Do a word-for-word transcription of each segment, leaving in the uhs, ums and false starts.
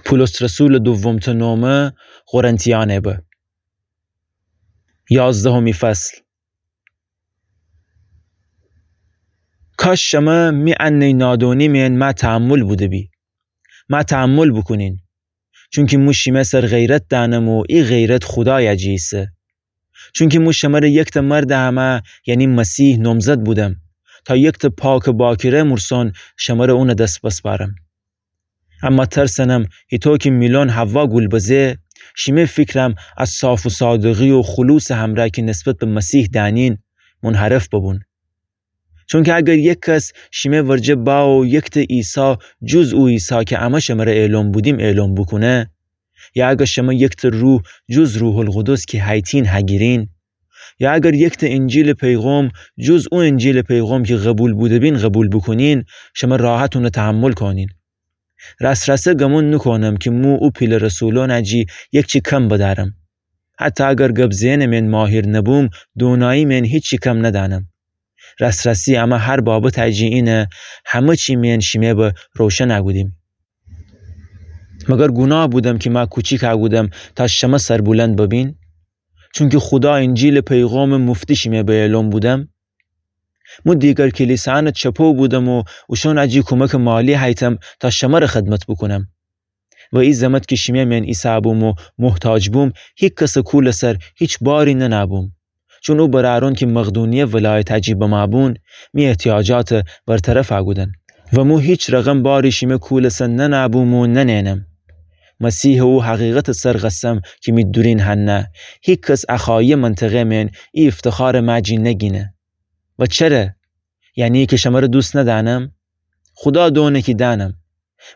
پولس رسولٚ دومٚ نومه قرنتیأنٚ به. یازدهمی فصل. کاش شمه می انه نادونی مئن مه تحمل بوده‌بی. مه تحمل بوکونین. چونکی مو شیمه سر غیرت دأنم و ای غیرت خودایٚ جی ایسه. چونکی مو شمره یکتأ مردٚ امه، یعنی مسیح نومزد بودم، تا یکتأ پاکٚ باکره مورسون شمره اونٚ دس بسپارم. اما ترسنم هیتو کی میلون حوا گول بزه، شیمه فیکرم از صاف و صادقی و خلوصٚ همرأ کی نسبت به مسیح دأنین، منحرف ببون. چونکی اگر یک کس شیمه ورجه با و یکتأ عیسی جز او عیسی کی امه شمره ایلون بودیم ایلون بوکونه، یا اگر شمه یکتأ روح جز روح‌القدس کی هیتین هگیرین، یا اگر یکتأ انجیلٚ پیغام جز او انجیلٚ پیغام کی قبول بوده‌بین قبول بوکونین، شمه راحت اونه تحمل کونین. راس‌راسه گمون نوکونم کی مو او پیله رسولونٚ جی یکچی کم بدأرم. حتی اگر گب زئنٚ مئن ماهیر نبوم، دونایی مئن هیچی کم ندأنم. راس‌راسی امه هر بابطٚ جی اینه همه چی مئن شیمه به روشن اگودیم. مگر گوناه بودم کی مه کوچیک اگودم تا شمه سربلند ببین؟ چونکی خودا انجیلٚ پیغامٚ مفتی شیمه به ایلون بودم؟ مو دیگر کلیسایأنٚ چپو بودم و اوشونٚ جی کومکٚ مالی هیتم تا شمره خدمت بوکونم. و ای زمت کی شیمه مئن ایسه بوم و محتاج بوم، هیکسٚ کولٚ سر هیچ باری ننه‌بوم. چون او برأرون کی مقدونیه ولایتٚ جی بمه بون، می احتیاجاتٚ برطرف اگودن. و مو هیچ رقم باری شیمه کولٚ سر ننه‌بوم و ننئنم. مسیحٚ او حقیقتٚ سر قسم کی می دورین هنه، هیکس ا خایه منطقه مئن ای افتخارٚ مه جی نگینه. و چره؟ یعنی کی شمره دوست ندأنم؟ خودا دونه کی دأنم.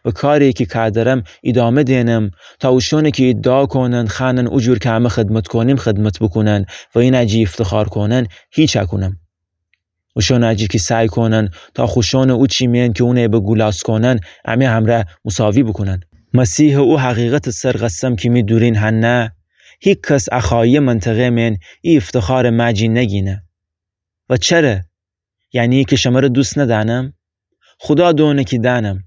و کاری کی کادرم ایدامه دئنم، تا اوشونه کی ایدعا کونن خوأنن او جور کی امه خدمت کونیم خدمت بوکونن و اینه جی افتخار کونن هیچ اکونم. اوشونه جی کی سعی کونن تا خوشونه او چی مئن کی اونه به گولاس کونن امه همره مساوی بوکونن. مسیحٚ او حقیقتٚ سر قسم کی می دورین هنه، هیکس ا خایه منطقه مئن ای افتخارٚ مه جی نگینه. و چره؟ یعنی کی شمره دوست ندأنم؟ خودا دونه کی دأنم.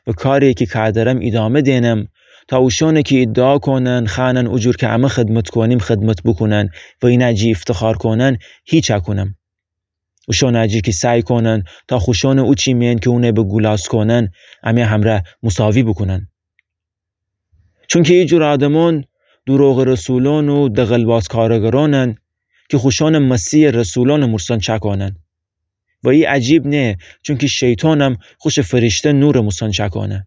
و کاری کی کادرم ایدامه دئنم، تا اوشونه کی ایدعا کونن خوأنن او جور کی امه خدمت کونیم خدمت بوکونن و اینه جی افتخار کونن هیچ اکونم. اوشونه جی کی سعی کونن تا خوشونه او چی مئن کی اونه به گولاس کونن امه همره مساوی بوکونن. چونکی ای جور آدمون دوروغٚ رسولون و دغلباز کارگرونن کی خوشونه مسیحٚ رسولونٚ مورسون چأکونن. و ای عجیب نه، چونکی شیطانم خوشٚ فریشته نورٚ مورسون چأکونه.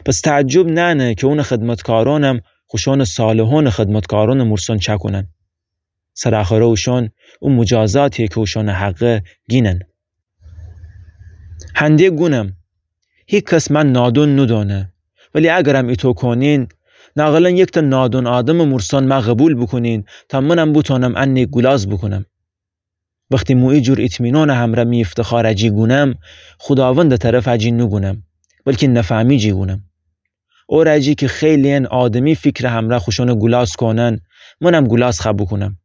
پس تعجب نأنه کی اونٚ خدمتکارونم خوشونٚ صالحونٚ خدمتکارونٚ مورسون چأکونن. سرآخره اوشون او مجازاتی کی اوشونٚ حقه گینن. هنده گونم، هیکس مه نادون نودونه. ولی اگرم ایتو کونین، ناقلن یکتأ نادون آدمٚ مورسون مه قبول بوکونین، تا منم بوتونم انه گولاز بوکونم. وختی مو ای جور اطمینانٚ همره می افتخارٚ جی گونم، خوداوندٚ طرفٚ جی نوگونم، بلکی نفهمی جی گونم. اوره جی کی خیلی‌ین آدمی فیکرٚ همره خوشونه گولاز کونن، منم گولاز خوأ بوکونم.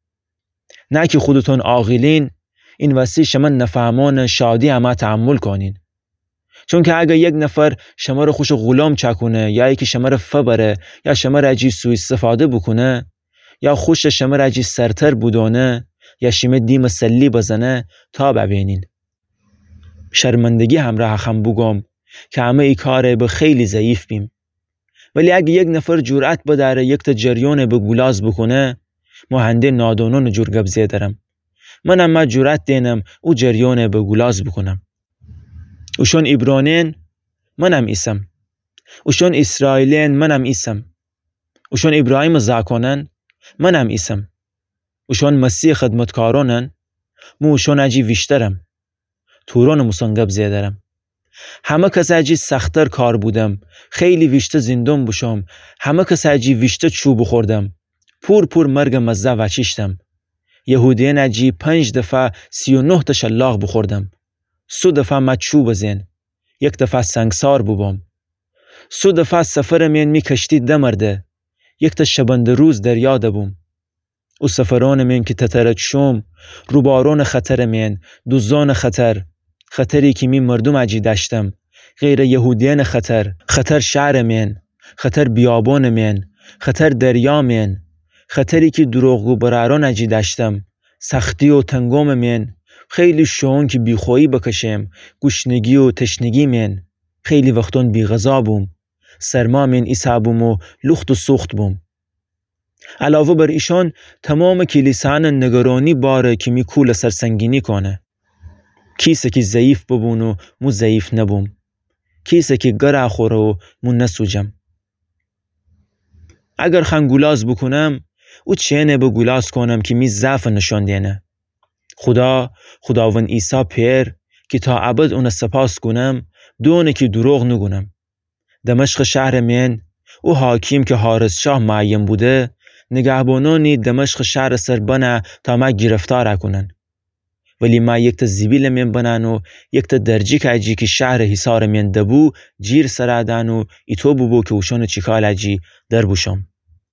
نه کی خودتون عاقلین، این وستی شمه نفهمانٚ شادی امه تحمل کونین. چونکی اگر یک نفر شمره خوشٚ غلام چأکونه، یا ایکی شمره فبره، یا شمره جی سوءاستفاده بوکونه، یا خوشٚ شمره جی سرتر بودونه، یا شیمه دیمٚ سلی بزنه، تاب ابینین. شرمندگی همره اخم بوگوم کی امه ای کاره به خیلی ضعیف بیم. ولی اگه یک نفر جرأت بدأره یکتأ جریانٚ به گولاز بوکونه، مو هنده نادونونٚ جور گب زئیدرم. منم مه جرأت دئنم او جریانٚ به گولاز بوکونم. اوشون عبرانین، منم ایسم. اوشون اسرائیلین، منم ایسم. اوشون ابراهیمٚ زاکونن، منم ایسم. اوشون مسیحٚ خدمتکارونن، مو اوشون جی ویشترم. تورونٚ موسن گب زئیدرم. همه کسٚ جی سختر کار بودم، خیلی ویشته زندون بوشوم، همه کسٚ جی ویشته چو بوخوردم، پور پور مرگٚ مزه وأچیشتم. یهودیأنٚ جی پنج دفعه سی و نه تأ شلاق بوخوردم. سه دفعه مه چو بزئن، یک دفعه سنگسار بوبوم. سه دفعه سفرٚ مئن می کشتی دمرده، یکتأ شبنده‌روز دریا دبوم. او سفرونٚ مئن کی تتره چوم، روبارونٚ خطرٚ مئن، دوزونٚ خطر، خطری کی می مردومٚ جی دأشتم، غیرٚ یهودیأنٚ خطر، خطر شهرٚ مئن، خطر بیابونٚ مئن، خطر دریا مئن، خطری کی دروغگو برأرونٚ جی دأشتم، سختی و تنگومٚ مئن، خیلی شوئون کی بیخویی بکشم، گوشنگی و تشنگی مئن، خیلی وختون بیغذا بوم، سرما مئن ایسه بوم و لوخت و سوخت بوم. علاوه بر ایشون، تومامٚ کلیسانٚ نگرانی باره کی می کولٚ سر سنگینی کونه. کیسه کی ضعیف ببون و مو ضعیف نبوم. کیسه کی گره خوره و مو نسوجم. اگر خوأن گولاز بوکونم، او چئنه به گولاز کونم کی می ضعفٚ نشون دئنه. خودا، خوداوند عیسی پئر، کی تا ابد اونٚ سپاس گونم، دونه کی دروغ نوگونم. دمشقٚ شهرٚ مئن، او حاکم کی حارس شاه معین بوده، نگهبانونی دمشقٚ شهرٚ سر بنه تا مه گیرفتار کونن. ولی مه یکتأ زیبیلٚ مئن بنأن و یکتأ درجیکٚ جی کی شهرٚ حصارٚ مئن دبو، جیر سر دأن و ایتو بوبو کی اوشونٚ چیکالٚ جی در بوشوم.